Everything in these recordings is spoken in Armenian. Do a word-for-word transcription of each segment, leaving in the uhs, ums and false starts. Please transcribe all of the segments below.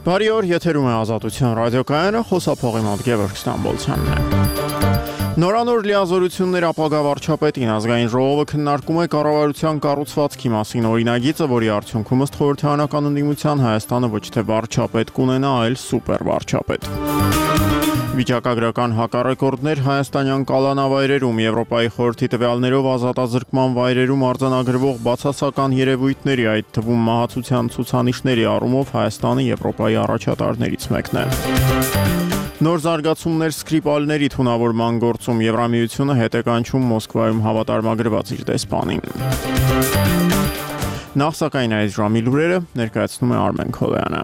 Բարի օր, եթերում է Ազատության ռադիոկայանը, խոսափողի մոտ Գևորգ Ստամբոլցյանն է։ Նորանոր լիազորություններ ապագա վարչապետին ազգային ժողովը քննարկում է կառավարության կառուցվածքի մասին օրինագիծը, որի արդյունքում ըստ խորհրդարանական ընդդիմության Հայաստանը ոչ թե վարչապետ կունենա, այլ սուպեր վարչապետ։ Վիճակագրական հակառեկորդներ հայաստանյան կալանավայրերում Եվրոպայի խորհրդի տվյալներով ազատազրկման վայրերում արձանագրվող բացասական երևույթների, այդ թվում մահացության ցուցանիշների առումով Հայաստանը Եվրոպայի առաջատարներից մեկն է։ Նոր զարգացումներ Սկրիպալների թունավորման գործում Եվրամիությունը հետ է կանչում Մոսկվայում հավատարմագրված իր դեսպանին։ Նախ սակայն այս ժամի լուրերը ներկայացնում է Արմեն Քոլոյանը։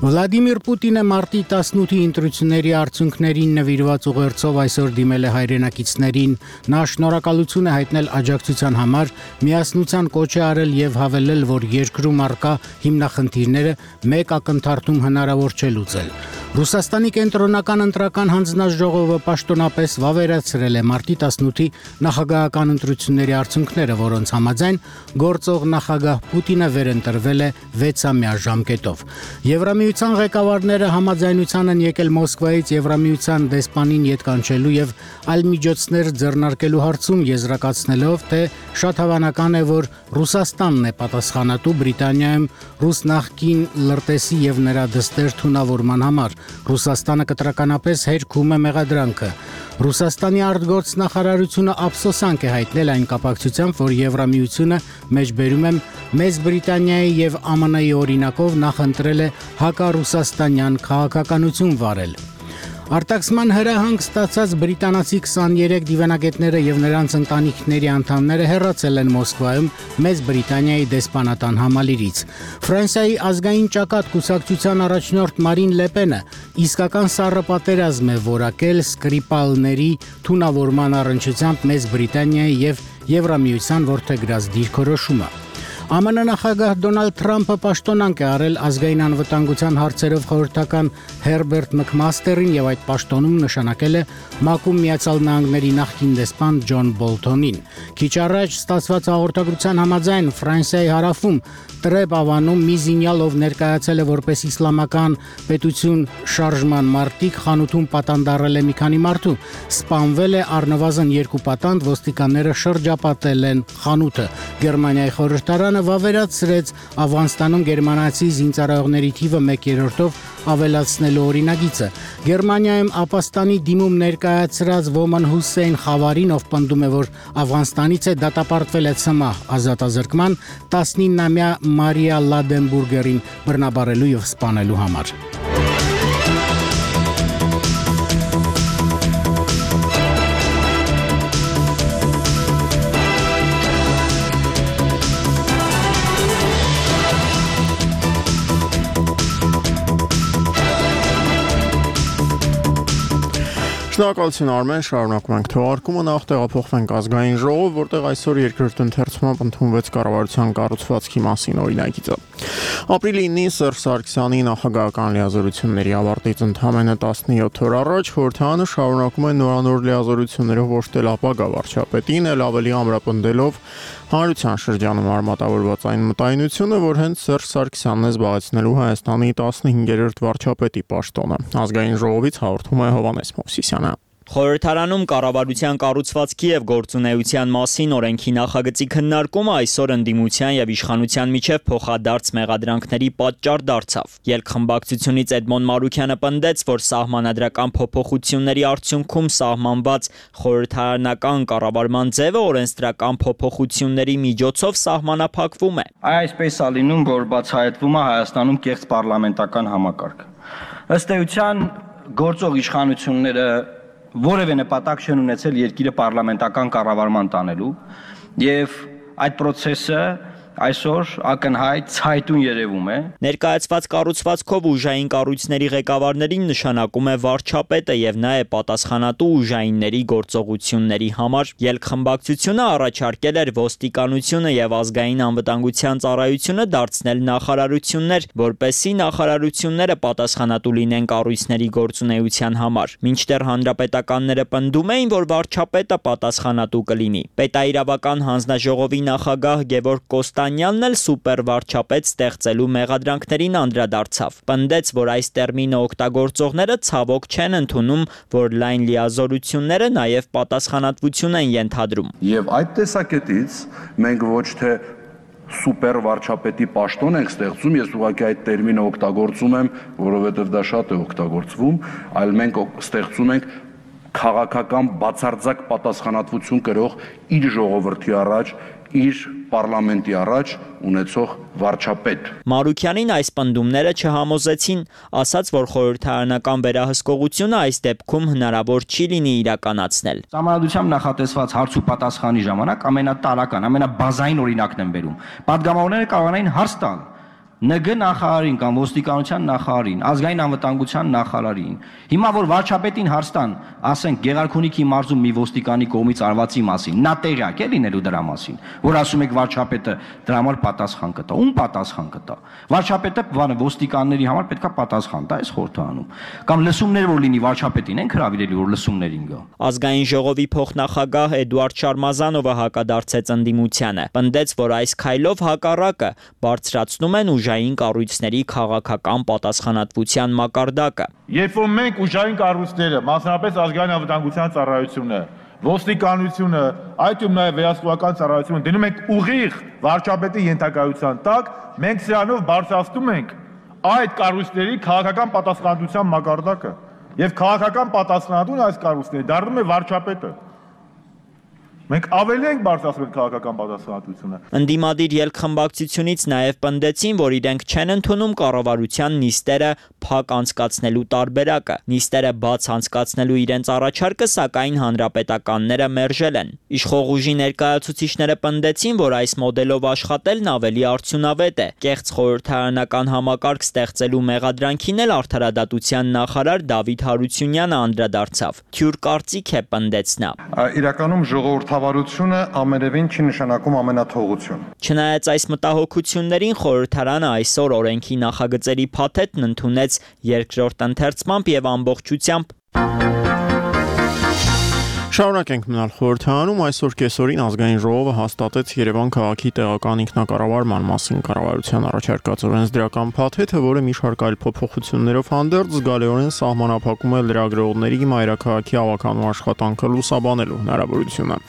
Վլադիմիր Պուտինը մարտի տասնութի ընտրությունների արդյունքներին նվիրված ուղերձով այսօր դիմել է հայրենակիցներին։ Նա շնորհակալություն է հայտնել աջակցության համար, միասնության կոչ է արել եւ հավելել, որ երկրում առկա հիմնախնդիրները մեկ ակնթարթում հնարավոր չէ լուծել։ Ռուսաստանի կենտրոնական ընտրական հանձնաժողովը պաշտոնապես վավերացրել է մարտի տասնութի նախագահական ընտրությունների արդյունքները, որոնց համաձայն գործող նախագահ Պուտինը վերընտրվել է վեցամյա ժամկետով։ Եվրամիության ղեկավարները համաձայնության են եկել Մոսկվայից Եվրամիության դեսպանին ետ կանչելու եւ այլ միջոցներ ձեռնարկելու հարցում, եզրակացնելով, թե շատ հավանական է, որ Ռուսաստանն է պատասխանատու Բրիտանիայում ռուս նախկին լրտեսի եւ նրա դստեր թունավորման համար։ Ռուսաստանը կտրականապես հերքում է մեղադրանքը։ Ռուսաստանի արտգործնախարարությունը ափսոսանք է հայտնել այն կապակցությամբ, որ Եվրամիությունը մեջբերում է Մեծ Բրիտանիայի եւ Α M N-ի օրինակով նախընտրել է հակառուսաստանյան քաղաքականություն վարել։ Արտաքսման հրահանգ ստացած բրիտանացի քսաներեք դիվանագետները եւ նրանց ընտանիքների անդամները հեռացել են Մոսկվայում Մեծ Բրիտանիայի դեսպանատան համալիրից։ Ֆրանսիայի ազգային ճակատ կուսակցության առաջնորդ Մարին Լեպենը իսկական սառը պատերազմ է որակել Սկրիպալների թունավորման առնչությամբ Մեծ Բրիտանիայի եւ Եվրամիության որդեգրած դիրքորոշումը։ Α M N նախագահ Դոնալդ Թրամփը պաշտոնանկ է արել ազգային անվտանգության հարցերով խորհրդական Հերբերտ Մքմաստերին եւ այդ պաշտոնում նշանակել է ՄԱԿ-ում Միացյալ Նահանգների նախկին դեսպան Ջոն Բոլթոնին։ Քիչ առաջ ստացված հաղորդագրության համաձայն Ֆրանսիայի հարավում Տրեբ ավանում մի զինյալ, ով ներկայացել է որպես իսլամական պետություն շարժման մարտիկ, խանութում պատանդարել է մի քանի մարդու, սպանվել է առնվազն երկու պատանդ, ոստիկանները շրջապատել են խանութը։ Գերմանիայի խորհրդարանը վավերացրեց Աֆղանստանում գերմանացի զինծառայողների թիվը մեկ երրորդով ավելացնելու օրինագիծը։ Գերմանիայում ապաստանի դիմում ներկայացրած Ոման Հուսեյն Խավարին, ով պնդում է, որ Աֆղանստանից է, դատապարտվել է ցմահ ազատազրկման, տասնինամյա Մարիա Լադենբուրգերին բռնաբարելու եւ սպանելու համար։ Շնորհակալություն Արմեն, շարունակում ենք թողարկումը, նախ տեղափոխվենք ազգային ժողով, որտեղ այսօր երկրորդ ընթերցումով ընդունվեց կառավարության կառուցվածքի մասին օրինագիծը։ Ապրիլի ինին Սերժ Սարգսյանի նախագահական լիազորությունների ավարտից ընդամենը տասնյոթ օր առաջ խորհրդարանը շարունակում է նորանոր լիազորություններով ոշտել ապագա վարչապետին, էլ ավելի ամրապնդելով հանրության շրջանում արմատավորված այն մտայնությունը, որ հենց Սերժ Սարգսյանն է զբաղեցնելու Հայաստանի տասնհինգերորդ վարչապետի պաշտոնը։ Ազգային ժողովից հաղորդում է Հովհաննես Մովսիսյանը։ Խորհրդարանում կառավարության կառուցվածքի եւ գործունեության մասին օրենքի նախագծի քննարկումը այսօր ընդդիմության եւ իշխանության միջև փոխադարձ մեղադրանքների պատճառ դարձավ։ Ելքխմբակցությունից Էդմոն Մարուքյանը պնդեց, որ սահմանադրական փոփոխությունների արդյունքում սահմանված խորհրդարանական կառավարման ձևը օրենսդրական փոփոխությունների միջոցով սահմանափակվում է։ Այսպես է լինում, որ բացահայտվում է Հայաստանում կեղծ պարլամենտական համակարգ։ Ըստ էության գործող իշխանությունները որևէ նպատակ չեն ունեցել երկիրը պարլամենտական կառավարման տանելու եւ այդ process-ը այսօր ակնհայտ ցայտուն երևում է։ Ներկայացված կառուցվածքով ուժային կառույցների ղեկավարներին նշանակում է վարչապետը եւ նա է պատասխանատու ուժայինների գործողությունների համար։ Ելքխմբակցությունը առաջարկել էր ոստիկանությունը եւ ազգային անվտանգության ծառայությունը դարձնել նախարարություններ, որպեսզի նախարարությունները պատասխանատու լինեն կառույցների գործունեության համար։ Մինչդեռ հանրապետականները պնդում էին, որ վարչապետը պատասխանատու կլինի։ Պետաիրավական հանձնաժողովի նախագահ Գևորգ Կոստանյանն էլ սուպեր վարչապետ ստեղծելու մեղադրանքներին անդրադարձավ։ Պնդեց, որ այս տերմինը օգտագործողները ցավոք չեն ընդունում, որ լայն լիազորությունները նաև պատասխանատվություն են ենթադրում։ Եվ այդ տեսակետից մենք ոչ թե սուպեր վարչապետի պաշտոն ենք ստեղծում, ես ուղղակի այդ տերմինը օգտագործում եմ, որովհետև դա շատ է օգտագործվում, այլ մենք ստեղծում ենք քաղաքական բացարձակ պատասխանատվություն կրող իր ժողովրդի առաջ, իր պարլամենտի առաջ ունեցող վարչապետ։ Մարուքյանին այս պնդումները չհամոզեցին, ասաց, որ խորհրդարանական վերահսկողությունը այս դեպքում հնարավոր չի լինի իրականացնել։ Սահմանադրությամբ նախատեսված հարց ու պատասխանի ժամանակ ամենատարական, ամենաբազային օրինակն են բերում։ Պատգամավորները կարողանային հարց տալ ՆԳ նախարարին կամ ոստիկանության նախարարին, ազգային անվտանգության նախարարին։ Հիմա որ վարչապետին հարց տան, ասենք Գեղարքունիքի մարզում մի ոստիկանի կողմից արվածի մասին, նա տեղյակ է լինելու դրա մասին, որ ասում եք վարչապետը դրա համար պատասխան կտա։ Ում պատասխան կտա։ Վարչապետը բանը ոստիկանների համար պետքա պատասխան տա այս խորհրդարանում։ Կամ լսումներ որ լինի վարչապետին են հրավիրելի որ լսումներին գա։ Ազգային ժողովի փոխնախագահ Էդուարդ Շարմազանովը հակադարձեց ընդդիմությանը։ Պնդեց, որ այս քայլով հակառակը բարձրացնում են ուժային կառույցների քաղաքական պատասխանատվության մակարդակը։ Երբ որ մենք ուժային կառույցները, մասնավորապես ազգային անվտանգության ծառայությունը, ոստիկանությունը, այդում նաև վերահսկողական ծառայությունը դնում ենք ուղիղ վարչապետի ենթակայության տակ, մենք սրանով բարձրացնում ենք այդ կառույցների քաղաքական պատասխանատվության մակարդակը, եւ քաղաքական պատասխանատուն այս կառույցների դառնում է վարչապետը։ Մենք ավելի ենք բարձրացրել քաղաքական պատասխանատվությունը։ Ընդդիմադիր ելքխմբակցությունից նաև պնդեցին, որ իրենք չեն ընդունում կառավարության նիստերը փակ անցկացնելու տարբերակը։ Նիստերը բաց անցկացնելու իրենց առաջարկը, սակայն հանրապետականները մերժել են։ Իշխող ուժի ներկայացուցիչները պնդեցին, որ այս մոդելով աշխատելն ավելի արդյունավետ է։ Կեղծ խորհրդարանական համակարգ ստեղծելու մեղադրանքին էլ արդարադատության նախարար Դավիթ Հարությունյանը անդրադարձավ։ Թյուր կարծիք է պնդեց նա։ Իրականում ժողովուրդ Հավարությունը ամենևին չի նշանակում ամենաթողություն։ Չնայած այս մտահոգություններին խորհրդարանը այսօր օրենքի նախագծերի փաթեթն ընդունեց երկրորդ ընթերցմամբ եւ ամբողջությամբ։ Շարունակենք մնալ խորհրդարանում, այսօր կեսօրին ազգային ժողովը հաստատեց Երևան քաղաքի տեղական ինքնակառավարման մասին կառավարության առաջարկած օրենսդրական փաթեթը, որը մի շարք այլ փոփոխություններով հանդերձ զգալիորեն սահմանափակում է լրագրողների մայրաքաղաքի ավականու աշխատանքը լուսաբանելու հնարավորությունը։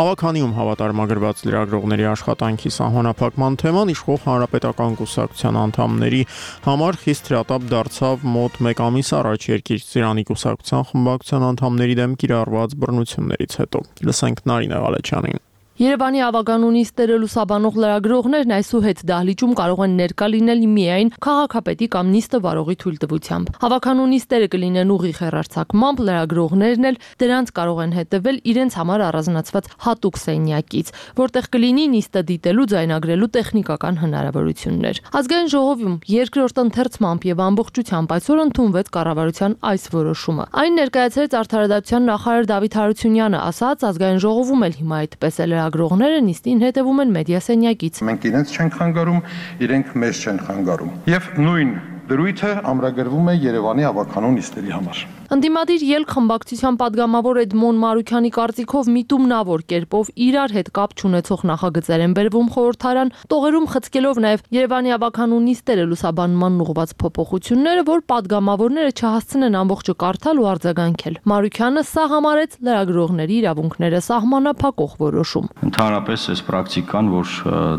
Ավականիում հավատարմագրված լրագրողների աշխատանքի սահմանափակման թեման իշխող հանրապետական կուսակցության անդամների համար խիստ հրատապ դարձավ մոտ մեկ ամիս առաջ Երկիր կուսակցության խմբակցության անդամների դեմ կիրառված բռնություններից հետո։ Լսենք Նարինե Ղալեչյանին։ Երևանի ավականու նիստերը լուսաբանող լրագրողներն այսուհետ դահլիճում կարող են ներկա լինել միայն քաղաքապետի կամ նիստը վարողի թույլտվությամբ։ Ավականու նիստերը կլինեն ուղիղ հեռարձակմամբ, լրագրողներն էլ դրանց կարող են հետևել իրենց համար առանձնացված հատուկ սենյակից, որտեղ կլինի նիստը դիտելու, ձայնագրելու տեխնիկական հնարավորություններ։ Ազգային ժողովում երկրորդ ընթերցմամբ եւ ամբողջությամբ այսօր ընդունվեց կառավարության այս որոշումը։ Այն ներկայացրեց արդարադատության նախարար Դավիթ Հարությունյանը, ասաց ազգային ժողովում էլ հիմա այդպես է լրագրողները նիստին հետևում են մեդիա սենյակից։ Մենք իրենց չենք խանգարում, իրենք մեզ չեն խանգարում։ Եվ նույն դրույթը ամրագրվում է Երևանի ավականու նիստերի համար։ Ընդդիմադիր ելք խմբակցության падգամավոր Էդմոն Մարուքյանի կարծիքով միտումնավոր կերպով իրար հետ կապ չունեցող նախագծեր են բերվում խորհրդարան, տողերում խցկելով նաև Երևանի ավականու նիստերը լուսաբանման ուղղված փոփոխությունները, որ падգամավորները չհասցնեն ամբողջը կարդալ ու արձագանքել։ Մարուքյանը սա համարեց լրագրողների իրավունքները սահմանափակող որոշում։ Ընդհանրապես այս պրակտիկան, որ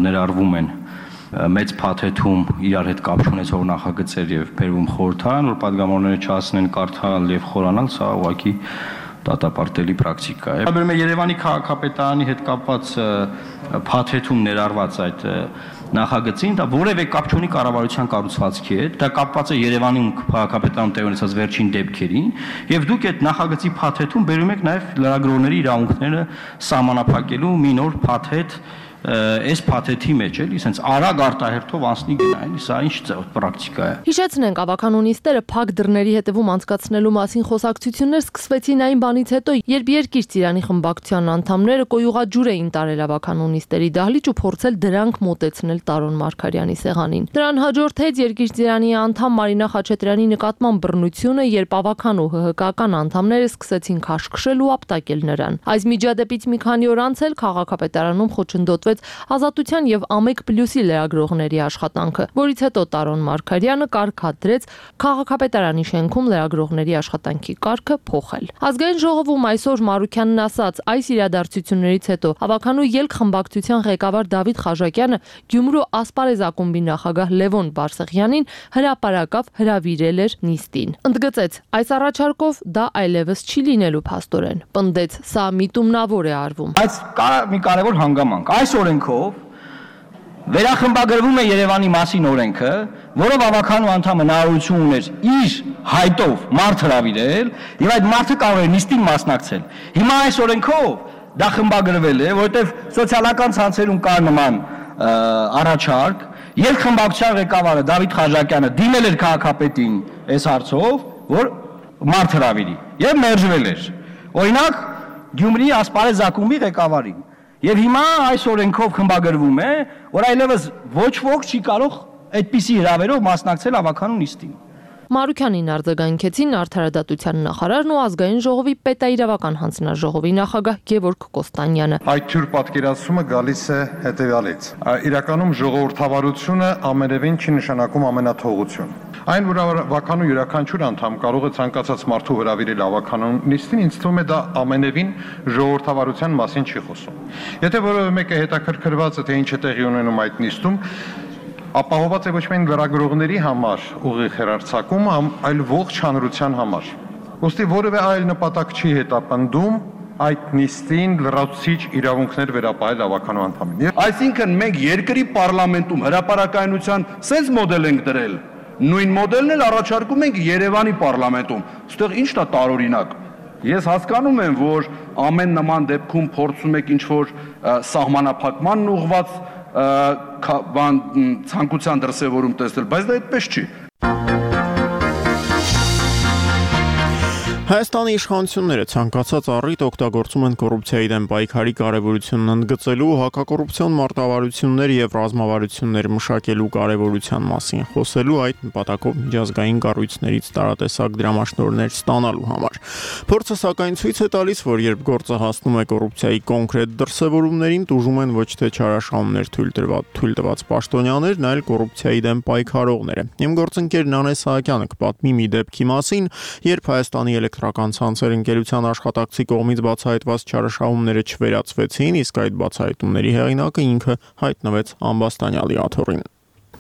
ներառվում են մեծ փաթեթում իրար հետ կապ ունեցող նախագծեր եւ բերվում խորհրդարան, որ падգամավորները չհասնեն կարդալ եւ խորանալ, սա ուղղակի դատապարտելի պրակտիկա է։ Բերում է Երևանի քաղաքապետարանի հետ կապված փաթեթում ներառված այդ նախագծին, դա որևէ կապ չունի կառավարության կառուցվածքի հետ, դա կապված է Երևանում քաղաքապետարանում տեղի ունեցած վերջին դեպքերին, եւ դուք այդ նախագծի փաթեթում բերում եք նաեւ լրագրողների իրավունքները սահմանափակելու մի նոր փաթեթ այս փաթեթի մեջ էլի, ասենց արագ արտահերթով անցնի գնա, էլի, սա ինչ պրակտիկա է։ Հիշեցնենք, ավականու նիստերը փակ դռների հետևում անցկացնելու մասին խոսակցություններ սկսվեցին այն բանից հետո, երբ Երկիր Ծիրանի խմբակցության անդամները կոյուղաջուր էին տարել ավականու նիստերի դահլիճ ու փորձել դրանք մոտեցնել Տարոն Մարգարյանի սեղանին։ Դրան հաջորդեց Երկիր Ծիրանի անդամ Մարինա Խաչատրյանի նկատմամբ բռնությունը, երբ ավականու ՀՀԿ-ական անդամները սկսեցին քաշքշել ու ապտակել նրան։ Այս միջադեպից մի քանի օր անց էլ քաղաքապետարանում խոչընդոտվեց Ազատության եւ Ամեկ Պլյուսի լրագրողների աշխատանքը, որից հետո Տարոն Մարգարյանը կարգադրեց քաղաքապետարանի շենքում լրագրողների աշխատանքի կարգը փոխել։ Ազգային ժողովում այսօր Մարուքյանն ասաց, այս իրադարձություններից հետո ավականու ելք խմբակցության ղեկավար Դավիթ Խաչակյանը Գյումրու Ասպարեզ ակումբի նախագահ Լևոն Բարսեղյանին հրապարակավ հրավիրել էր նիստին։ Ընդգծեց, այս առաջարկով դա այլևս չի լինելու փաստորեն։ Պնդեց, սա միտումնավոր է արվում։ Բայց կա մի կարևոր հանգամանք։ Այս օրենքով վերախմբագրվում է Երևանի մասին օրենքը, որով ավականու անդամը հնարավորություն ուներ իր հայտով մարդ հրավիրել եւ այդ մարդը կարող է նիստին մասնակցել։ Հիմա այս օրենքով դա խմբագրվել է, որովհետեւ սոցիալական ցանցերում կար նման առաջարկ, եւ խմբակցության ղեկավարը Դավիթ Խաչակյանը դիմել էր քաղաքապետին այս հարցով, որ մարդ հրավիրի եւ մերժվել էր։ Օրինակ Գյումրի Ասպարեզ ակումբի ղեկավարին։ Եվ հիմա այս օրենքով խմբագրվում է, որ այլևս ոչ ոք չի կարող այդպիսի հրավերով մասնակցել ավականու նիստին։ Մարուքյանին արձագանքեցին Արդարադատության նախարարն ու Ազգային ժողովի պետաիրավական հանձնաժողովի նախագահ Գևորգ Կոստանյանը։ Այդ թյուր պատկերացումը գալիս է հետևյալից։ Իրականում ժողովրդավարությունը ամենևին չի նշանակում ամենաթողություն։ Այն, որ ավականու յուրաքանչյուր անդամ կարող է ցանկացած մարդու հրավիրել ավականու նիստին, ինձ թվում է դա ամենևին ժողովրդավարության մասին չի խոսում։ Եթե որևէ մեկը հետաքրքրված է, թե ինչ է տեղի ունենում այդ նիստում, ապահովված է ոչ միայն լրագրողների համար ուղիղ հեռարձակում, այլ ողջ հանրության համար։ Ոստի որևէ այլ նպատակ չի հետապնդում այդ նիստին լրացուցիչ իրավունքներ վերապահել ավականու անդամին։ Այսինքն մենք երկրի պարլամենտում հրապարակայնության sense մոդել ենք դրել, նույն մոդելն էլ առաջարկում ենք Երևանի պարլամենտում։ Այստեղ ի՞նչն է տարօրինակ։ Ես հասկանում եմ, որ ամեն նման դեպքում փորձում եք ինչ-որ սահմանափակման ուղղված բան ցանկության դրսևորում տեսնել, բայց դա այդպես չի։ Հայաստանի իշխանությունները ցանկացած առիթ օգտագործում են կոռուպցիայի դեմ պայքարի կարևորությունն ընդգծելու, հակակոռուպցիոն մարտավարություններ եւ ռազմավարություններ մշակելու կարևորության մասին խոսելու, այդ նպատակով միջազգային կառույցներից տարատեսակ դրամաշնորհներ ստանալու համար։ Փորձը սակայն ցույց է տալիս, որ երբ գործը հասնում է կոռուպցիայի կոնկրետ դրսևորումներին, տուժում են ոչ թե չարաշահումներ թույլ տված թույլ տված պաշտոնյաներն, այլ կոռուպցիայի դեմ պայքարողները։ Իմ գործընկեր Նանե Սահակյանը կպատմի մի դեպքի մասին, երբ Հայաստանի էլեկտրական ցանցեր ընկերության աշխատակցի կողմից բացահայտված չարաշահումները չվերացվեցին, իսկ այդ բացահայտումների հեղինակը ինքը հայտնվեց ամբաստանյալի աթոռին։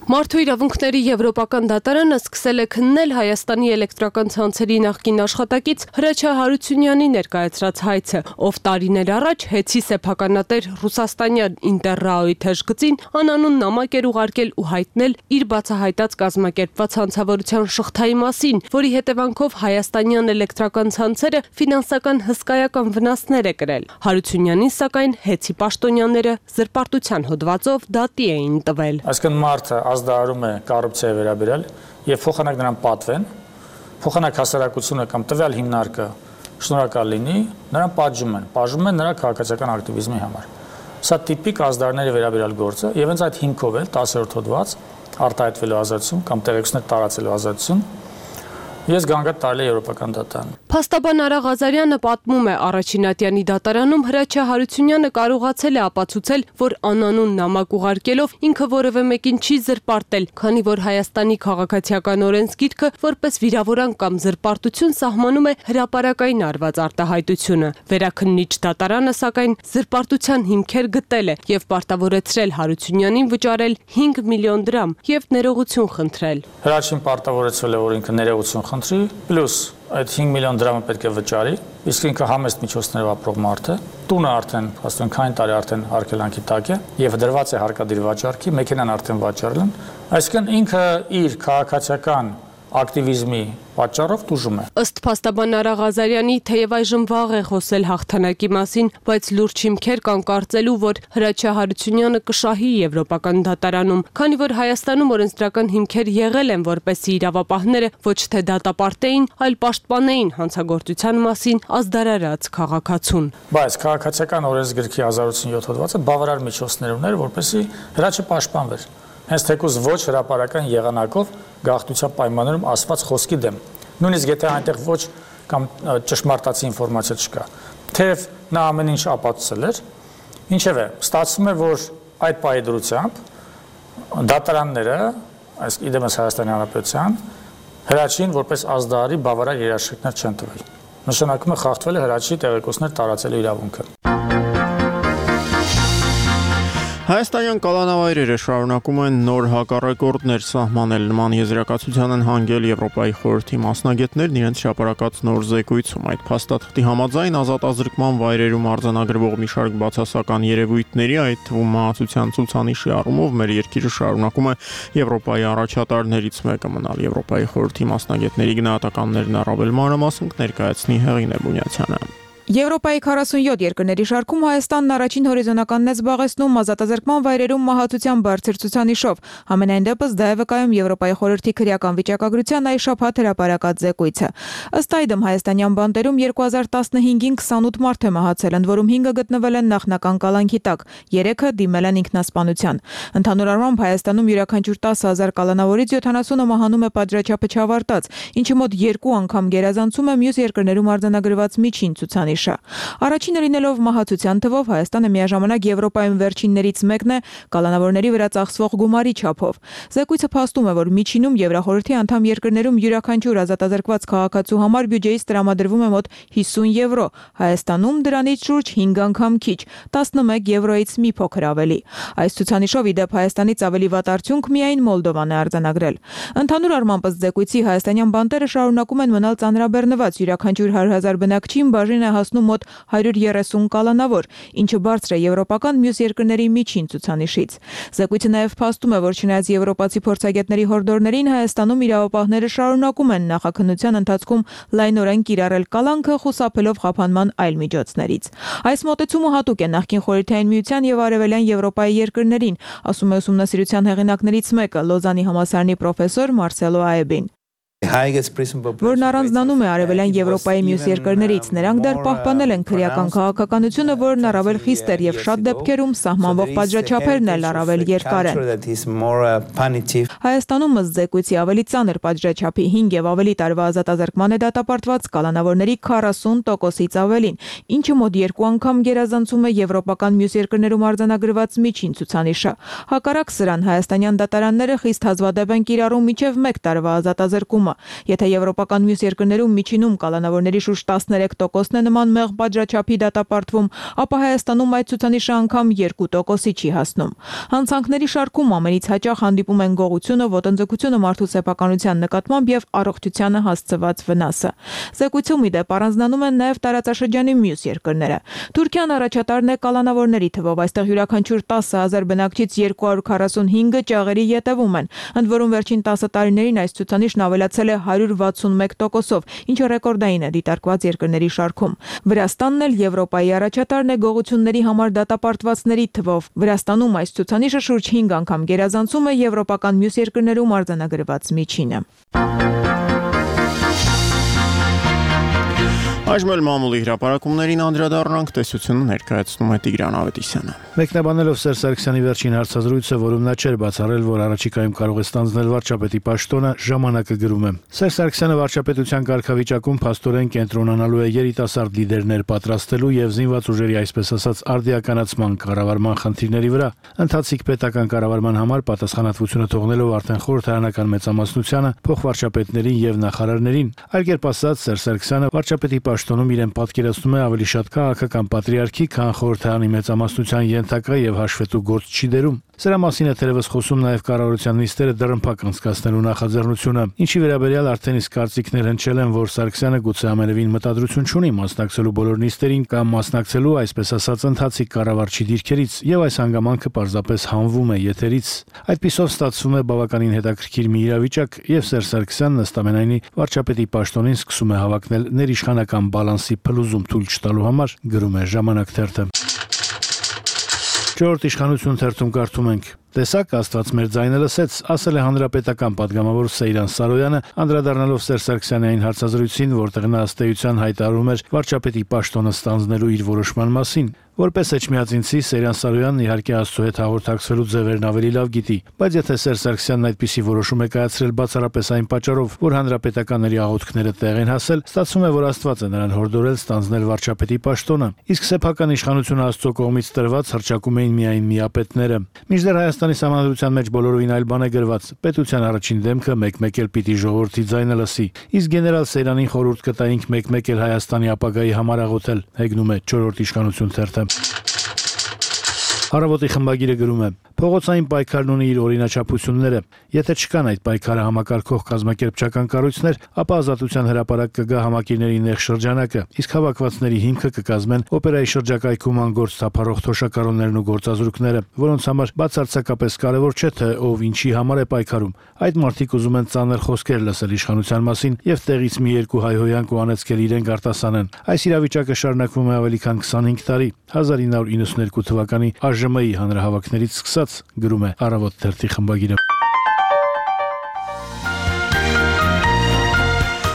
Մարդու իրավունքների եվրոպական դատարանը սկսել է քննել Հայաստանի էլեկտրական ցանցերի նախկին աշխատակից Հրաչյա Հարությունյանի ներկայացրած հայցը, ով տարիներ առաջ հեծի սեփականատեր ռուսաստանյան Ինտերրաոյի թեժգծին անանուն նամակ էր ուղարկել ու հայտնել իր բացահայտած կազմակերպված հանցավորության շղթայի մասին, որի հետևանքով հայաստանյան էլեկտրական ցանցերը ֆինանսական հսկայական վնասներ է կրել։ Հարությունյանին սակայն հեծի պաշտոնյաները զրպարտության հոդվածով դատի էին տվել։ Այսինքն մարդը ազդարարում է կոռուպցիայի վերաբերյալ եւ փոխանակ նրան պատվեն, փոխանակ հասարակությունը կամ տվյալ հիմնարկը շնորհակալ լինի, նրան պատժում են, պատժում են նրա քաղաքացիական ակտիվիզմի համար։ Սա տիպիկ ազդարների վերաբերյալ գործ է եւ հենց այդ հիմքով է տասերորդ հոդված արտահայտվելու ազատություն կամ տեղեկություններ տարածելու ազատություն Ես գանգատ տարել է եվրոպական դատարան։ Փաստաբան Արա Ղազարյանը պատմում է, Առաջինատյանի դատարանում Հրաչյա Հարությունյանը կարողացել է ապացուցել, որ անանուն նամակ ուղարկելով ինքը որևէ մեկին չի զրպարտել, քանի որ Հայաստանի քաղաքացիական օրենսգիրքը որպես վիրավորանք կամ զրպարտություն սահմանում է հրապարակային արված արտահայտությունը։ Վերաքննիչ դատարանը սակայն զրպարտության հիմքեր գտել է եւ պարտավորեցրել Հարությունյանին վճարել հինգ միլիոն դրամ եւ ներողություն խնդրել։ Հրաչին պարտավորեցրել է, որ ինքը ներողություն խնդրի, պլյուս այդ հինգ միլիոն դրամը պետք է վճարի, իսկ ինքը համեստ միջոցներով ապրող մարդ է, տունը արդեն, ասում ենք, քանի տարի արդեն արգելանքի տակ է եւ դրված է հարկադիր վաճառքի, մեքենան արդեն վաճառել են, այսինքն ինքը իր քաղաքացիական ակտիվիզմի պատճառով տուժում է։ Ըստ փաստաբան Արա Ղազարյանի, թեև այժմ վաղ է խոսել հաղթանակի մասին, բայց լուրջ հիմքեր կան կարծելու, որ Հրաչյա Հարությունյանը կշահի Եվրոպական դատարանում, քանի որ Հայաստանում օրենսդրական հիմքեր եղել են, որպեսզի իրավապահները ոչ թե դատապարտեին, այլ պաշտպանեին հանցագործության մասին ազդարարած քաղաքացուն։ Բայց քաղաքացիական օրենսգրքի հազար ութսուն յոթ հոդվածը բավարար միջոցներ ուներ, որպեսզի Հրաչը պաշտպանվեր։ Հենց թեկուզ ոչ հրապարական եղանակով գաղտնիության պայմաններում ասված խոսքի դեմ։ Նույնիսկ եթե այնտեղ ոչ կամ ճշմարտացի ինֆորմացիա չկա, թեև նա ամեն ինչ ապացուցել էր, ինչևէ, ստացվում է, որ այդ պահի դրությամբ դատարանները, այս իդեմս Հայաստանի Հանրապետության, Հրաչին որպես ազդարարի բավարար երաշխիքներ չեն տվել։ Նշանակում է խախտվել է Հրաչի տեղեկություններ տարածելու իրավունքը։ Հայաստանյան կալանավայրերը շարունակում են նոր հակառեկորդներ սահմանել, նման եզրակացության են հանգել Եվրոպայի խորհրդի մասնագետներն իրենց հրապարակած նոր զեկույցում։ Այդ փաստաթղթի համաձայն ազատազրկման վայրերում արձանագրվող մի շարք բացասական երևույթների, այդ թվում մահացության ցուցանիշի առումով մեր երկիրը շարունակում է Եվրոպայի առաջատարներից մեկը մնալ։ Եվրոպայի խորհրդի մասնագետների գնահատականներն առավել մանրամասն ներկայացնի Հեղինե Բունյացյանը։ Եվրոպայի քառասունյոթ երկրների շարքում Հայաստանն առաջին հորիզոնականն է զբաղեցնում ազատազրկման վայրերում մահացության բարձր ցուցանիշով։ Համենայն դեպս դա է վկայում Եվրոպայի խորհրդի քրեական վիճակագրության այս շաբաթ հրապարակած զեկույցը։ Ըստ այդմ հայաստանյան բանտերում երկու հազար տասնհինգին քսանութ մարդ է մահացել, ընդ որում հինգը գտնվել են նախնական կալանքի տակ, երեքը դիմել են ինքնասպանության։ Ընդհանուր առմամբ Հայաստանում յուրաքանչյուր տասը հազար կալանավորից յոթանասունը մահանում է պատժաչափը չավարտած, ինչը մոտ երկու անգամ գերազանցում է մյուս երկրներում արձանագրված միջին ցուցանիշը։ Առաջինը լինելով մահացության թվով Հայաստանը միաժամանակ Եվրոպայում վերջիններից մեկն է կալանավորների վրա ծախսվող գումարի չափով։ Զեկույցը փաստում է, որ միջինում Եվրախորհրդի անդամ երկրներում յուրաքանչյուր ազատազրկված քաղաքացու համար բյուջեից տրամադրվում է մոտ հիսուն եվրո, Հայաստանում դրանից շուրջ հինգ անգամ քիչ, տասնմեկ եվրոից մի փոքր ավելի։ Այս ցուցանիշով ի դեպ Հայաստանից ավելի վատ արդյունք միայն Մոլդովան է արձանագրել։ Ընդհանուր առմամբ ըստ զեկույցի հայաստանյան բանտերը շարունակում են մնալ ծանրաբեռնված, յուրաքանչյուր հարյուր հազար բնակչին բաժին է հասնում մոտ հարյուր երեսուն կալանավոր, ինչը բարձր է եվրոպական մյուս երկրների միջին ցուցանիշից։ Զեկույցը նաև փաստում է, որ չնայած եվրոպացի փորձագետների հորդորներին Հայաստանում իրավապահները շարունակում են նախաքննության ընթացքում լայնորեն կիրառել կալանքը, խուսափելով խափանման այլ միջոցներից։ Այս մոտեցումը հատուկ է նախկին Խորհրդային Միության եւ Արևելյան Եվրոպայի երկրներին, ասում է ուսումնասիրության հեղինակներից մեկը, Լոզանի համալսարանի պրոֆեսոր Մարսելո Աեբին։ Որն առանձնանում է Արևելյան Եվրոպայի մյուս երկրներից, նրանք դեռ պահպանել են քրեական քաղաքականությունը, որն առավել խիստ էր եւ շատ դեպքերում սահմանվող պատժաչափերն էլ առավել երկար են։ Հայաստանում ըստ զեկույցի ավելի ծանր պատժաչափի հինգ եւ ավելի տարվա ազատազրկման է դատապարտված կալանավորների քառասուն տոկոսից ավելին, ինչը մոտ երկու անգամ գերազանցում է եվրոպական մյուս երկրներում արձանագրված միջին ցուցանիշը։ Հակառակ սրան հայաստանյան դատարանները խիստ հազվադեպ են կիրառում մինչեւ մեկ տարվա ազատազրկումը։ Եթե եվրոպական մյուս երկրներում միջինում կալանավորների շուրջ տասներեք տոկոսն է նման մեղ պատժաչափի դատապարտվում, ապա Հայաստանում այդ ցուցանիշը անգամ երկու տոկոսի չի հասնում։ Հանցանքների շարքում ամենից հաճախ հանդիպում են գողությունը, ոտնձգությունը մարդու սեփականության նկատմամբ եւ առողջությանը հասցված վնասը։ Զեկույցում ի դեպ առանձնանում են նաեւ տարածաշրջանի մյուս երկրները։ Թուրքիան առաջատարն է կալանավորների թվով, այստեղ յուրաքանչյուր տասը հազար բնակչից երկու հարյուր քառասունհինգը ճաղերի ետևում են, ընդ որում վերջին տասը տարիներին այս ցուցանիշն ավելացել է հարյուր վաթսունմեկ տոկոսով, ինչը ռեկորդային է դիտարկված երկրների շարքում։ Վրաստանն էլ Եվրոպայի առաջատարն է գողությունների համար դատապարտվածների թվով։ Վրաստանում այս ցուցանիշը շուրջ հինգ անգամ գերազանցում է եվրոպական մյուս երկրներում արձանագրված միջինը։ Այժմ էլ մամուլի հրապարակումներին անդրադառնանք, տեսությունը ներկայացնում է Տիգրան Ավետիսյանը։ Մեկնաբանելով Սերժ Սարգսյանի վերջին հարցազրույցը, որում նա չէր բացառել, որ առաջիկայում կարող է ստանձնել վարչապետի պաշտոնը, ժամանակը գրում է. Սերժ Սարգսյանը վարչապետության կարգավիճակում փաստորեն կենտրոնանալու է երիտասարդ լիդերներ պատրաստելու եւ զինված ուժերի, այսպես ասած, արդիականացման կառավարման խնդիրների վրա, ընթացիկ պետական կառավարման համար պատասխանատվությունը թողնելով արդեն խորհրդարանական մեծամասնությանը, փոխվարչապետներին եւ նախարարներին։ Այլ կերպ ասած, Սերժ Սարգսյանը վարչապետի պաշտոնում իրեն պատկերացնում է ավելի շատ քաղաքական պատրիարքի, քան խորհրդարանի մեծամասնության ենթակա եւ հաշվետու գործ չի դերում։ Սրա մասին է թերևս խոսում նաև կառավարության նիստերը դռնփակ անցկացնելու նախաձեռնությունը, ինչի վերաբերյալ արդեն իսկ կարծիքներ հնչել են, որ Սարգսյանը գուցե ամենևին մտադրություն չունի մասնակցելու բոլոր նիստերին կամ մասնակցելու, այսպես ասած, ընթացիկ կառավարչի դիրքերից, եւ այս հանգամանքը պարզապես հանվում է եթերից։ Այդպիսով ստացվում է բավականին հետաքրքիր մի իրավիճակ, եւ Սերժ Սարգսյանն ըստ ամենայնի վարչապետի պաշտոնին սկսում է հավակնել ներիշխանական բալանսի փլուզում թույլ չտալու համար, գրում է Ժամանակ թերթը։ Չորրորդ իշխանություն թերթում կարդում ենք. Տեսակ Աստված մեր ձայնը լսեց, ասել է հանրապետական падգամավոր Սեյրան Սարոյանը, անդրադառնալով Սերժ Սարգսյանի այն հարցազրույցին, որտեղ նա ըստ էության հայտարարում էր վարչապետի պաշտոնը ստանձնելու իր որոշման մասին։ Որպես էջմիածինցի Սեյրան Սարոյանն իհարկե Աստծո հետ հաղորդակցվելու ձևերն ավելի լավ գիտի, բայց եթե Սերժ Սարգսյանն այդպիսի որոշում է կայացրել բացառապես այն պատճառով, որ հանրապետականների աղոթքները տեղ են հասել, ստացվում է, որ Աստված է նրան հորդորել ստանձնել վարչապետի պաշտոնը, իսկ սեփական իշխանությունը Աստծո կողմից տրված հռչակում էին միայն միապետները։ Մինչդեռ Հայաստանի Սահմանադրության մեջ բոլորովին այլ բան է գրված. պետության առաջին դեմքը մեկ-մեկ էլ պիտի ժողովրդի ձայնը լսի։ Իսկ գեներալ Սեյրանին խորհուրդ կտայինք մեկ-մեկ էլ Հայաստանի ապագայի համար աղոթել, հեգնում է չորրորդ իշխանություն թերթը։ Հարավոտի խմբագիրը գրում է. Փողոցային պայքարն ունի իր օրինաչափությունները։ Եթե չկան այդ պայքարը համակարգող կազմակերպչական կառույցներ, ապա Ազատության հրապարակ կգա համակիրների նեղ շրջանակը, իսկ հավաքվածների հիմքը կկազմեն օպերայի շրջակայքում անգործ թափառող թոշակառուներն ու գործազուրկները, որոնց համար բացարձակապես կարևոր չէ, թե ով ինչի համար է պայքարում։ Այդ մարդիկ ուզում են ծանր խոսքեր լսել իշխանության մասին եւ տեղից մի երկու հայհոյանք ու անեծքել իրենք արտասանեն։ Այս իրավիճակը շարունակվում է ավելի քան քսանհինգ տարի, հազար ինը հարյուր իննսունհինգ թվականի Ա Ժ Մ-ի հանրահավաքներից սկսած, գրում է Առավոտ թերթի խմբագիրը։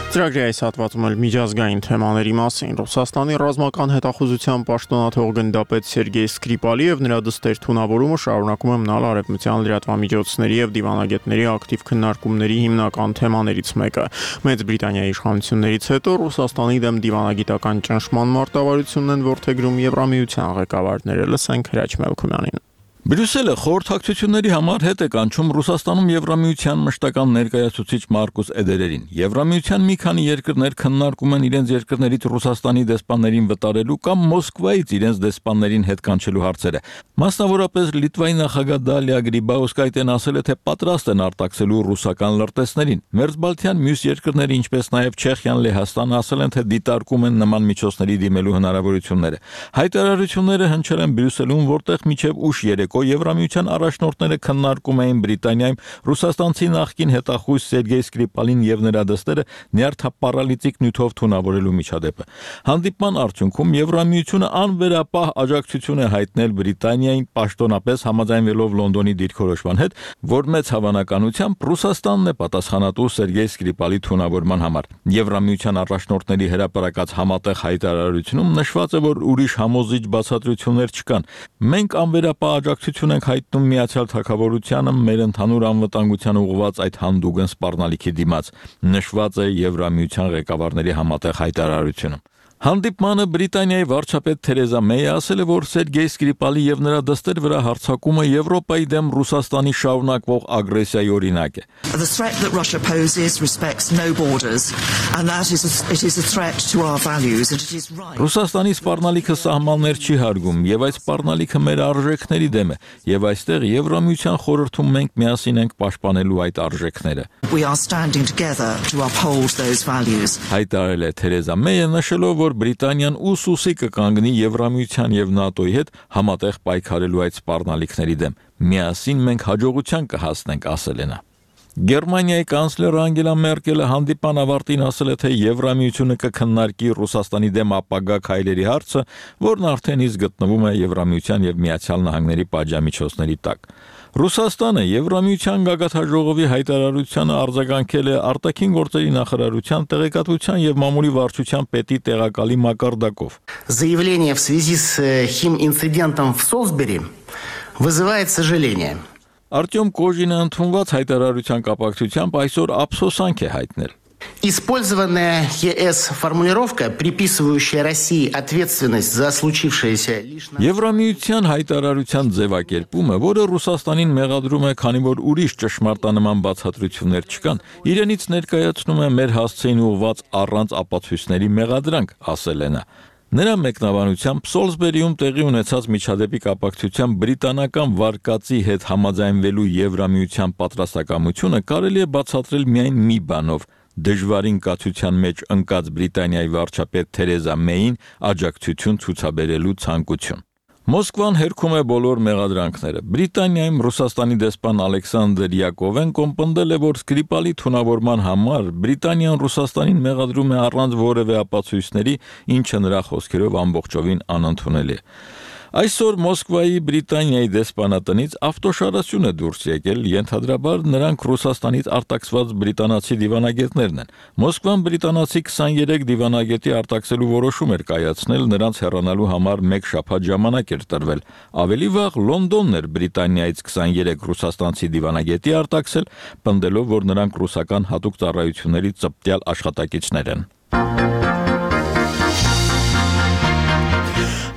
Ծրագրի այս հատվածում էլ միջազգային թեմաների մասին Ռուսաստանի ռազմական հետախուզության պաշտոնաթող գնդապետ Սերգեյ Սկրիպալիև նրա դստեր թունավորումը շարունակում է մնալ արևմտյան լրատվամիջոցների եւ դիվանագետների ակտիվ քննարկումների հիմնական թեմաներից մեկը։ Մեծ Բրիտանիայի իշխանություններից հետո Ռուսաստանի դեմ դիվանագիտական ճնշման մարտավարությունն են որդեգրում Եվրամիության ղեկավարները։ Լսենք Հրաչ Մելքումյանին։ Բրյուսելը խորհրդակցությունների համար հետ է կանչում Ռուսաստանում Եվրամիության մշտական ներկայացուցիչ Մարկուս Էդերերին։ Եվրամիության մի քանի երկրներ քննարկում են իրենց երկրներից Ռուսաստանի դեսպաններին վտարելու կամ Մոսկվայից իրենց դեսպաններին հետ կանչելու հարցերը։ Մասնավորապես Լիտվայի նախագահ Դալիա Գրիբաուսկայտեն ասել է, թե պատրաստ են արտաքսելու ռուսական լրտեսներին։ Մերձբալթյան մյուս երկրները, ինչպես նաև Չեխիան, Լեհաստանը ասել են, թե դիտարկում են նման միջոցների դիմելու հնարավորությունները։ Հայտարարությունները հնչել են Բրյուսելում, որտեղ մինչև ուշ երեկո Եվրամիության առաջնորդները քննարկում էին Բրիտանիայում ռուսաստանցի նախկին հետախույզ Սերգեյ Սկրիպալին եւ նրա դստերը նյարդապարալիտիկ նյութով թունավորելու միջադեպը։ Հանդիպման արդյունքում Եվրամիությունը անվերապահ աջակցություն է հայտնել Բրիտանիային պաշտոնապես համաձայնվելով Լոնդոնի դիրքորոշման հետ, որ մեծ հավանականությամբ Ռուսաստանն է պատասխանատու Սերգեյ Սկրիպալի թունավորման համար։ Եվրամիության առաջնորդների հրապարակած համատեղ հայտարարությունում նշված է, որ ուրիշ համոզիչ բացատրություններ չկան։ Մենք անվերապահ աջակցություն ենք հայտնում Միացյալ Թագավորությանը մեր ընդհանուր անվտանգության ուղղված այդ հանդուգն սպառնալիքի դիմաց, նշված է Եվրամիության ղեկավարների համատեղ հայտարարությունում։ Հանդիպմանը Բրիտանիայի վարչապետ Թերեզա Մեյը ասել է, որ Սերգեյ Սկրիպալի եւ նրա դստեր վրա հարձակումը Եվրոպայի դեմ Ռուսաստանի շարունակվող ագրեսիայի օրինակ է։ The threat that Russia poses respects no borders and that is a, it is a threat to our values and it is right. Ռուսաստանի սպառնալիքը սահմաններ չի հարգում եւ այս սպառնալիքը մեր արժեքների դեմ է եւ այստեղ Եվրամիության խորհրդում մենք միասին ենք պաշտպանելու այդ արժեքները։ We are standing together to uphold those values. Հայտարարել է Թերեզա Մեյը, նշելով, որ Բրիտանիան ուսուսի կկանգնի Եվրամիության եւ ՆԱՏՕ-ի հետ համատեղ պայքարելու այդ սպառնալիքների դեմ։ Միասին մենք հաջողության կհասնենք, ասել է նա։ Գերմանիայի կանցլեր Անգելա Մերկելը հանդիպան ավարտին ասել է, թե Եվրամիությունը կքննարկի Ռուսաստանի դեմ ապագա քայլերի հարցը, որն արդեն իսկ գտնվում է Եվրամիության եւ Միացյալ Նահանգների պատժամիջոցների տակ։ Ռուսաստանը Եվրամիության գագաթաժողովի հայտարարությանը արձագանքել է արտաքին գործերի նախարարության տեղեկատվության եւ մամուլի վարչության պետի տեղակալի մակարդակով։ Заявление в связи с химинцидентом в Солсбери вызывает сожаление. Արտյոմ Կոժինը ընդունված հայտարարության կապակցությամբ այսօր ափսոսանք է հայտնել։ Использованная ЕС формулировка, приписывающая России ответственность за случившееся лишь на Եվրամիության հայտարարության ձևակերպումը, որը Ռուսաստանին մեղադրում է, քանի որ ուրիշ ճշմարտանման բացատրություններ չկան, իրենից ներկայացնում է մեր հասցեին ուղղված առանց ապացույցների մեղադրանք, ասել է նա։ Նրա մեկնաբանությամբ Սոլսբերիում տեղի ունեցած միջադեպի կապակցությամբ բրիտանական վարկածի հետ համաձայնվելու Եվրամիության պատրաստակամությունը կարելի է բացատրել միայն մի բանով՝ դժվարին կացության մեջ ընկած Բրիտանիայի վարչապետ Թերեզա Մեյին աջակցություն ցուցաբերելու ցանկություն։ Մոսկվան հերքում է բոլոր մեղադրանքները։ Բրիտանիայում Ռուսաստանի դեսպան Ալեքսանդր Յակովենկոն պնդել է, որ Սկրիպալի թունավորման համար Բրիտանիան Ռուսաստանին մեղադրում է առանց որևէ ապացույցների, ինչը նրա խոսքերով ամբողջովին անընդունելի է։ Այսօր Մոսկվայի Բրիտանիայի դեսպանատնից ավտոշարասյուն է դուրս եկել, ենթադրաբար նրանք Ռուսաստանից արտաքսված բրիտանացի դիվանագետներն են։ Մոսկվան բրիտանացի քսաներեք դիվանագետի արտաքսելու որոշում էր կայացնել, նրանց հեռանալու համար մեկ շաբաթ ժամանակ էր տրվել։ Ավելի վաղ Լոնդոնն էր Բրիտանիայից քսաներեք ռուսաստանցի դիվանագետի արտաքսել, պնդելով, որ նրանք ռուսական հատուկ ծառայությունների ծպտյալ աշխատակիցներ են։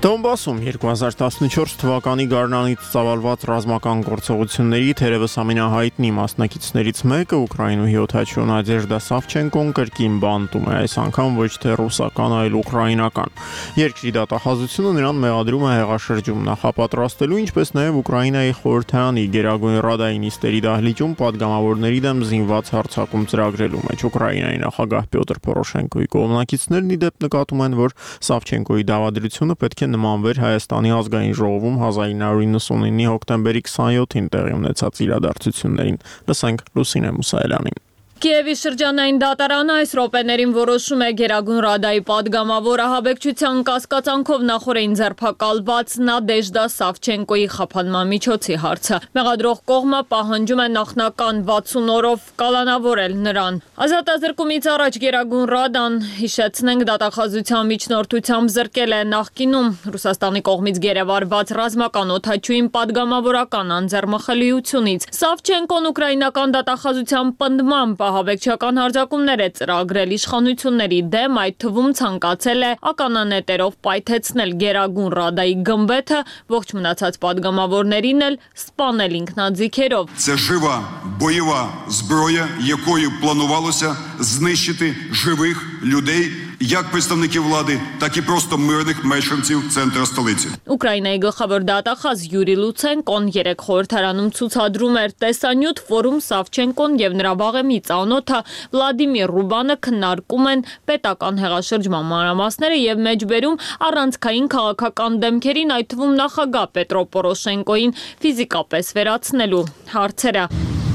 Դոնբասում երկու հազար տասնչորս թվականի գարնանից ծավալված ռազմական գործողությունների թերևս ամենահայտնի մասնակիցներից մեկը Ուկրաինուհի օդաչու Նադեժդա Սավչենկոն կրկին բանտում է, այս անգամ ոչ թե ռուսական, այլ ուկրաինական։ Երկրի դատախազությունը նրան մեղադրում է հեղաշրջում նախապատրաստելու, ինչպես նաև Ուկրաինայի խորհրդարանի Գերագույն Ռադայի նիստերի դահլիճում պատգամավորների դեմ զինված հարձակում ծրագրելու մեջ։ Ուկրաինայի նախագահ Պյոտր Պորոշենկոյի կողմնակիցներն ի դեպ նկատում են, որ Սավչենկոյի դավադրությունը պետք է նմանվեր Հայաստանի ազգային ժողովում հազար ինը հարյուր նվաթինի հոկտեմբերի քսանյոթին տեղի ունեցած իրադարձություններին։ Լսենք Լուսինե Մուսայելյանին։ Կիևի շրջանային դատարանը այս րոպեներին որոշում է Գերագույն Ռադայի պատգամավոր ահաբեկչության կասկածանքով նախօրեին ձերբակալված Նադեժդա Սավչենկոյի խափանման միջոցի հարցը։ Մեղադրող կողմը պահանջում է նախնական վաթսուն օրով կալանավորել նրան։ Ազատազրկումից առաջ Գերագույն Ռադան, հիշեցնենք, դատախազության միջնորդությամբ զրկել է նախկինում Ռուսաստանի կողմից գերեվարված ռազմական օդաչուին պատգամավորական անձեռմխելիությունից։ Սավչենկոն ուկրաինական դատախազության պնդմամբ ահաբեկչական հարձակումներ է ծրագրել իշխանությունների դեմ, այդ թվում ցանկացել է ականանետերով պայթեցնել Գերագույն Ռադայի գմբեթը, ողջ մնացած падգամավորներին էլ սպանել ինքնաձիգերով։ Це жива бойова зброя, якою планувалося знищити живих людей, як представників влади, так і просто мирних мешканців центра столиці. Ուկրաինայի գլխավոր դատախազ Յուրի Լուցենկոն երեք խորհրդարանում ցուցադրում էր տեսանյութ, որում Սավչենկոն եւ նրա վաղեմի ծանոթը Վլադիմիր Ռուբանը քննարկում են պետական հեղաշրջման մանրամասները եւ մեջբերում առանցքային քաղաքական դեմքերին, այդ թվում նախագահ Պետրո Պորոշենկոին ֆիզիկապես վերացնելու հարցերը։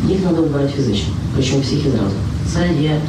Их надо убрать физично, причем всех и сразу. Це є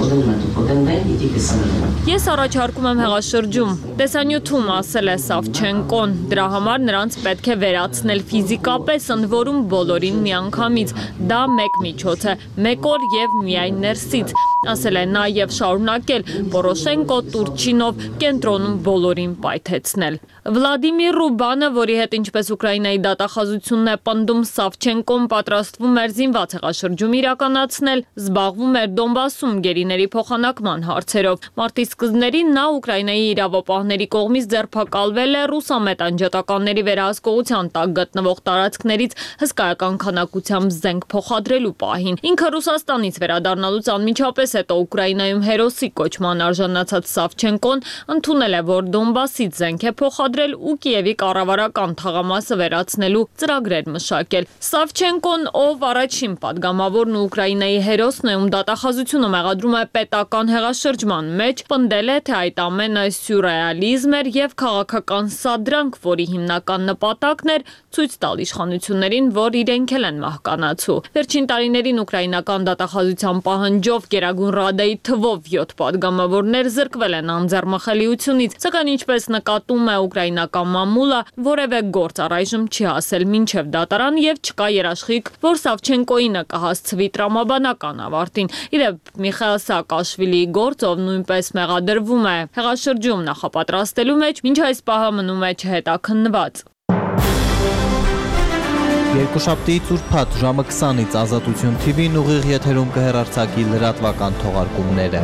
один метод, один день і тільки саме день. Ես առաջարկում եմ հեղաշրջում, տեսանյութում ասել է Սավչենկոն, դրա համար նրանց պետք է վերացնել ֆիզիկապես, ընդ որում բոլորին միանգամից, դա մեկ միջոց է, մեկ օր եւ միայն ներսից, ասել է նա եւ շարունակել, Պորոշենկո, Տուրչինով կենտրոնում բոլորին պայթեցնել։ Վլադիմիր Ռուբանը, որի հետ ինչպես Ուկրաինայի դատախազությունն է պնդում, Սավչենկոն պատրաստվում էր զինված հեղաշրջում իրականացնել, զբաղվում էր Դոնբասում գերիների փոխանակման հարցերով։ Մարտի սկզբներին նա Ուկրաինայի իրավապահների կողմից ձերբակալվել է ռուսամետ անջատականների վերահսկողության տակ գտնվող տարածքներից հսկայական քանակությամբ զենք փոխադրելու պահին։ Ինքը Ռուսաստանից վերադառնալուց անմիջապես հետո Ուկրաինայում հերոսի կոչման արժանացած Սավչենկոն ընդունել է, որ Դոնբասից զենք է փոխադրել ու Կիևի կառավարական թաղամասը վերացնելու ծրագրեր մշակել։ Սավչենկոն, ով առաջին падգամավորն ու Ուկրաինայի հերոսն է, ում դատախազությունը մեղադրում է պետական հեղաշրջման մեջ, պնդել է, թե այդ ամենը սյուրռեալիզմ էր եւ քաղաքական սադրանք, որի հիմնական նպատակն էր ցույց տալ իշխանություններին, որ իրենք էլ են մահկանացու։ Վերջին տարիներին ուկրաինական դատախազության պահանջով Գերագույն Ռադայի թվով յոթ падգամավորներ զրկվել են անձեռմխելիությունից, սակայն ինչպես նկատում է ուկրաինական մամուլը, որևէ գործ առայժմ չի հասել մինչև դատարան եւ չկա երաշխիք, որ Սավչենկոյինը կհասցվի տրամաբանական ավարտին։ Իդեպ Միխայել Սաակաշվիլիի գործ, ով նույնպես մեղադրվում է հեղաշրջում նախապատրաստելու մեջ, մինչ այս պահը մնում է չհետաքննված։ Երկուշաբթի ծուրփաթ ժամը քսանից Ազատություն թի վին ուղիղ եթերում կհեռարձակի լրատվական թողարկումները։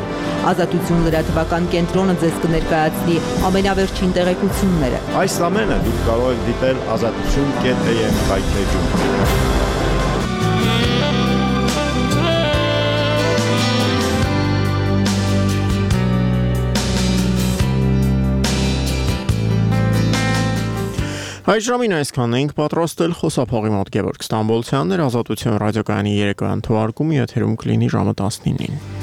Ազատություն լրատվական կենտրոնը ձեզ կներկայացնի ամենավերջին տեղեկությունները։ Այս ամենը դուք կարող եք դիտել ազատություն կետ էյ էմ հայթեջում։ Այս ժամին այսքանն ենք պատրաստել, խոսափողի մոտ Գևորգ Ստամբոլցյանն էր, Ազատություն ռադիոկայանի երեկոյան թողարկումը եթերում կլինի ժամը տասնինին։